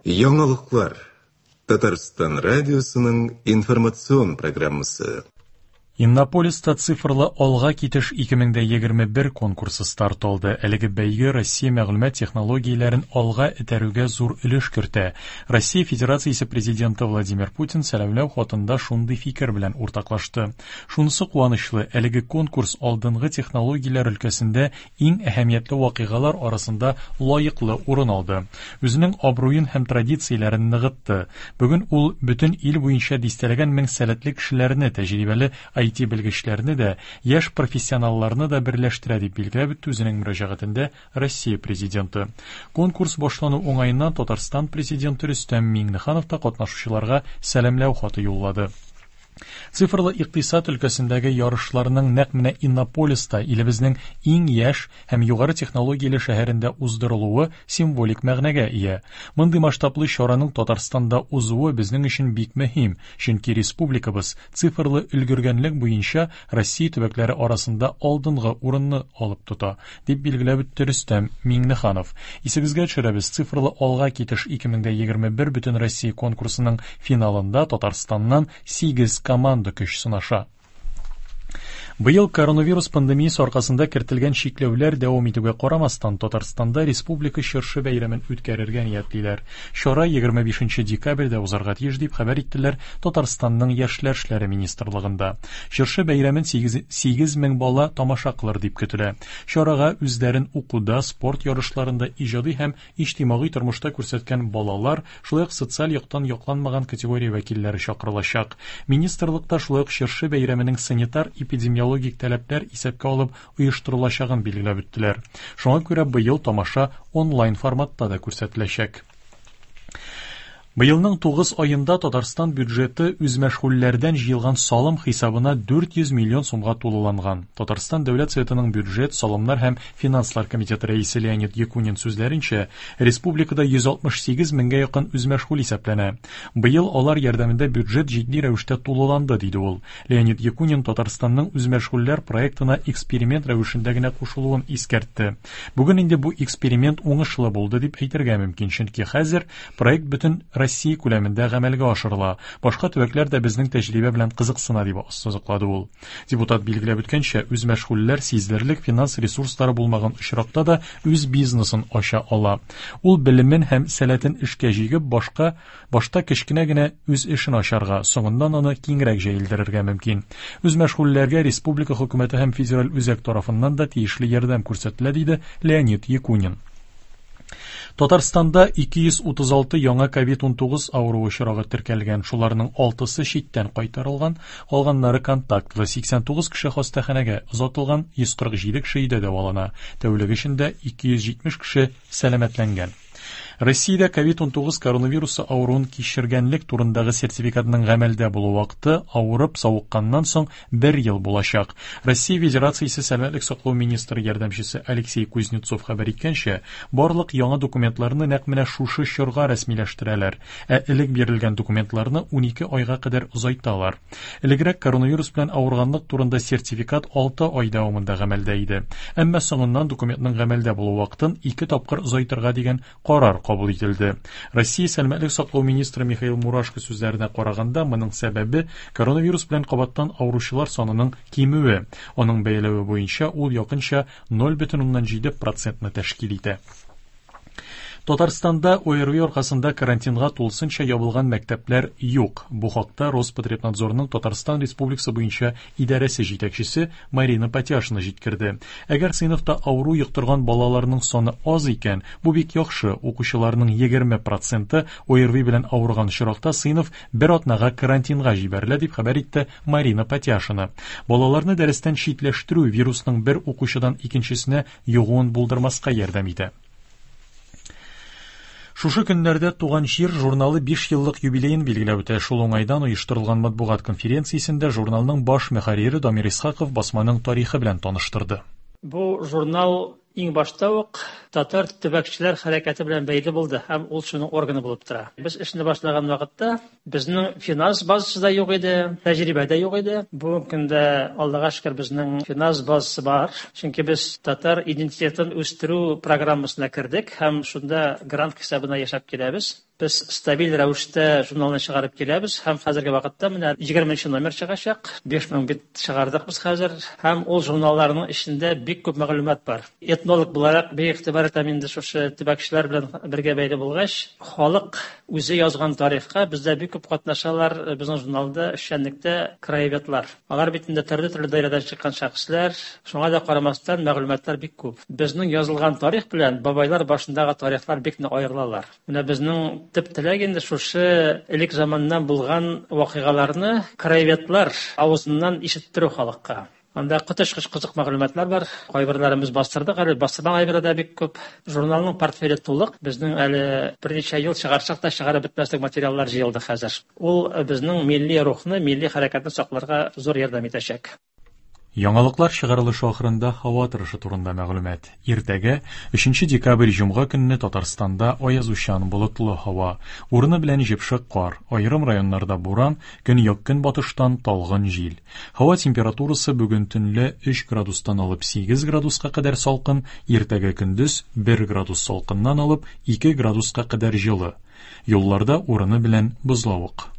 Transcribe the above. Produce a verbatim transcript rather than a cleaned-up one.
Яңалыклар. Татарстан радиосының информацион программасы. Иннополиста цифрлы алга китеш ике мең егерме бер конкурсы старт алды. Әлеге бәйге Россия мәгълүмат технологияләрен алга этәрүгә зур өлеш кертә. Россия Федерациясе президенты Владимир Путин сәламләү хатында шундый фикер белән уртаклашты. Шунысы куанычлы, әлеге конкурс алдынгы технологияләр өлкәсендә иң әһәмиятле вакыйгалар арасында лаеклы урын алды. Үзенең абруен һәм традицияләрен ныгытты. Бүген ул бөтен ил буенча дистәләгән мең сәләтле кешеләрне, тәҗрибәле ай ти белгечләрне дә, яшь профессионалларны да берләштерә, дип билгеләп үтте үзенең мөрәҗәгатендә Россия президенты. Конкурс башлану уңаеннан Татарстан президенты Рөстәм Миңнеханов та катнашучыларга сәламләү хаты юллады. Цифрлы икътисад өлкәсендәге ярышларның нәкъ менә Иннополиста, илебезнең иң яшь һәм югары технологияле шәһәрендә уздырылуы символик мәгънәгә ия. Мондый масштаблы чараның Татарстанда узуы безнең өчен бик мөһим, чөнки республикабыз цифрлы өлгергәнлек буенча Россия төбәкләре арасында алдынгы урынны алып тота, дип билгеләп үтте Рөстәм Миңнеханов. Исегезгә төшерәбез, цифрлы алга китеш ике мең егерме бер бөтен Россия конкурсының финалында Татарстаннан сигез команда көч сынаша. Быел коронавирус пандемиясе аркасында кертелгән чикләүләр дәвам итүгә карамастан, Татарстанда республика чыршы бәйрәмен үткәрергә ниятлиләр. Чара егерме бишенче декабрьдә узарга тиеш, дип хәбәр иттеләр Татарстанның Яшьләр эшләре министрлыгында. Чыршы бәйрәмен сигез, сигез мең бала тамаша кылыр дип көтелә. Чарага үзләрен укуда, спорт ярышларында, иҗади һәм иҗтимагый тормышта күрсәткән балалар, шулай ук социаль яктан якланмаган категория вәкилләре чакырылачак. Министрлыкта шулай ук чыршы бәйрәменең санитар эпидемиологик логик таләпләр исәпкә алып оештырылачагын билгеләп үттеләр. Шуңа күрә быел тамаша онлайн форматта да күрсәтеләчәк. Быелның тугыз аенда Татарстан бюджеты үзмәшгульләрдән җыелган салым хисабына дүрт йөз миллион сумга тулыланган. Татарстан Дәүләт Советының бюджет, салымнар һәм финанслар комитеты рәисе Леонид Якунин сүзләренчә, республикада йөз алтмыш сигез меңгә якын үзмәшгуль исәпләнә. Быел алар ярдәмендә бюджет җитди рәвештә тулыланды, диде ул. Леонид Якунин Татарстанның үзмәшгульләр проектына эксперимент рәвешендә генә кушылуын искәртте. Бүген инде бу эксперимент уңышлы булды дип әйтергә мөмкин, чөнки хәзер проект бөтен Россия күләмендә гамәлгә ашырыла. Башка төбәкләр дә безнең тәҗрибә белән кызыксына, дип ассызыклады ул. Депутат билгеләп үткәнчә, үзмәшгульләр сизелерлек финанс ресурслары булмаган очракта да үз бизнесын ача ала. Ул белемен һәм сәләтен эшкә җигеп, башка, башта кечкенә генә үз эшен ачарга, соңыннан аны киңрәк җәелдерергә мөмкин. Үзмәшгульләргә республика хөкүмәте һәм федераль үзәк тарафыннан да тиешле ярдәм күрсәтелә, диде Леонид Якунин. Татарстанда ике йөз утыз алты яңа ковид унтугыз авыруы очрагы теркәлгән. Шуларның алтысы читтән кайтарылган, калганнары контактлы. Сиксән тугыз кеше хастаханәгә озатылган, йөз кырык җиде кеше өйдә дәвалана. Тәүлек эчендә ике йөз җитмеш кеше сәламәтләнгән. Россиядә ковид унтугыз коронавирусы авыруын кичергәнлек турындагы сертификатның гамәлдә булу вакыты авырып савыкканнан соң бер ел булачак. Россия Федерациясе Сәламәтлек саклау министры ярдәмчесе Алексей Кузнецов хәбәр иткәнчә, барлык яңа документларны нәкъ менә шушы чорга рәсмиләштерәләр, ә элек бирелгән документларны унике айга кадәр озайталар. Элегрәк коронавирус белән авырганлык турында сертификат алты ай дәвамында гамәлдә иде. Әмма соңыннан документның гамәлдә булу вакытын ике тапкыр озайтырга дигән карар кабул ителде. Россия Сәламәтлек саклау министры Михаил Мурашко сүзләренә караганда, моның сәбәбе коронавирус белән кабаттан авыручылар санының кимүе. Аның бәяләве буенча ул якынча ноль бөтен уннан җиде процентны тәшкил итә. Татарстанда ОРВИ аркасында карантинга тулысынча ябылган мәктәпләр юк. Бу хакта Роспотребнадзорның Татарстан Республикасы буенча идарәсе җитәкчесе Марина Патяшина җиткерде. Әгәр сыйныфта авыру йоктырган балаларның саны аз икән, бу бик яхшы. Укучыларның егерме проценты ОРВИ белән авырган очракта сыйныф бер атнага карантинга җибәрелә, дип хәбәр итте Марина Патяшина. Балаларны дәрестән читләштерү вирусның бер укучыдан икенчесенә йогуын булдырмаска ярдәм итә. Шушы көннәрдә Туган җир журналы биш еллык юбилеен билгеләп үтә. Шул уңайдан оештырылган матбугат конференциясендә журналның баш мөхәррире Дамир Исхаков басманың тарихы белән таныштырды. Бу журнал иң башта ук татар төбәкчеләр хәрәкәте белән бәйле булды һәм ул шуның органы булып тора. Без эшне башлаган вакытта безнең финанс базасы да юк иде, тәҗрибә дә юк иде. Бүгенге көндә Аллага шөкер безнең финанс базасы бар. Чөнки без татар идентитетын үстерү программасына кердек һәм шунда грант хисабына яшәп киләбез. Без стабиль рәвештә журналны чыгарып киләбез һәм хәзерге вакытта менә егерменче номер чыгачак. Биш мең бит чыгардык без хәзер һәм ул журналларның эчендә бик күп мәгълүмат бар. Этнолог буларак бик игътибар итәм инде шушы төбәкчеләр белән бергә бәйле булгач, халык үзе язган тарихка бездә бик күп катнашалар безнең журналда эшчәнлектә краеведлар. Алар бит инде төрле-төрле даирәдән чыккан шәхесләр, шуңа да карамастан мәгълүматлар бик күп. Безнең язылган тарих белән бабайлар башындагы тарихлар бик нык аерылалар. Менә безнең төп теләк инде шушы элек заманнан булган вакыйгаларны краеведлар авызыннан ишеттерү халыкка. Анда коточкыч кызык мәгълүматлар бар. Кайберләрен без бастырдык, әле бастырмаган әйберләр дә бик күп. Журналның портфеле тулык. Безнең әле берничә ел чыгарсак та чыгарып бетмәслек материаллар җыелды хәзер. Ул безнең милли рухны, милли хәрәкәтне сакларга зур ярдәм итәчәк. Яңалыклар чыгарылышы ахырында һава торышы турында мәгълүмат. Иртәгә, өченче декабрь җомга көнне Татарстанда аязучан болытлы һава, урыны белән җепшек кар, аерым районнарда буран, көньяк-көнбатыштан талгын җил. Һава температурасы бүген төнлә өч градустан алып сигез градуска кадәр салкын, иртәгә көндез бер градус салкыннан алып ике градуска кадәр җылы. Юлларда урыны белән бозлавык.